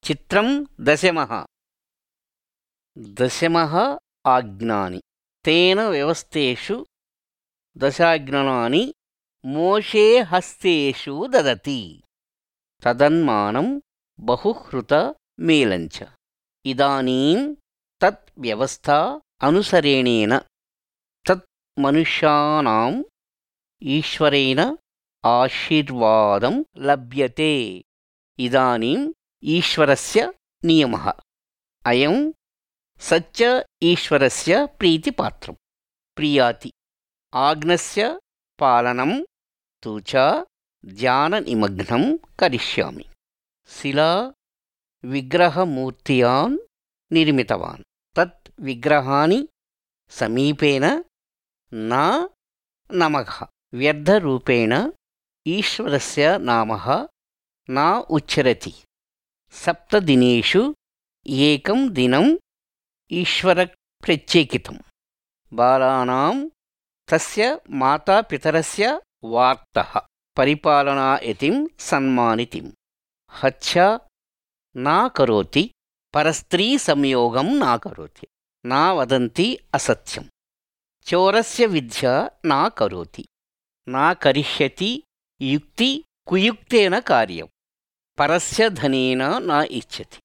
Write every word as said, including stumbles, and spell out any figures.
चित्रं दशमः दशमः आज्ञानि तेन व्यवस्थेषु दशाज्ञानानि मोशे हस्तेषु ददति तदन्मानं बहुहृत मेलञ्च इदानीं तत् व्यवस्था अनुसरणेन तत् मनुष्याणाम् ईश्वरेण आशीर्वादं लभ्यते इदानीम् ईश्वरस्य नियमः अयं सच्च ईश्वरस्य प्रीतिपात्रं प्रियाति आज्ञस्य पालनं तु च ध्याननिमग्नं करिष्यामि शिला विग्रहमूर्तियान् निर्मितवान् तत् विग्रहाणि समीपेन न नमः व्यर्थरूपेण ईश्वरस्य नामः न उच्चरति सप्तदिनेषु एकं दिनम् ईश्वरप्रत्येकितं बालानां तस्य मातापितरस्य वार्तः परिपालनायतिं सन्मानितिं हत्या न करोति परस्त्रीसंयोगं न करोति न वदन्ति असत्यं चोरस्य विद्या न करोति न करिष्यति युक्ति कुयुक्तेन कार्यं परस्य धनेन न इच्छति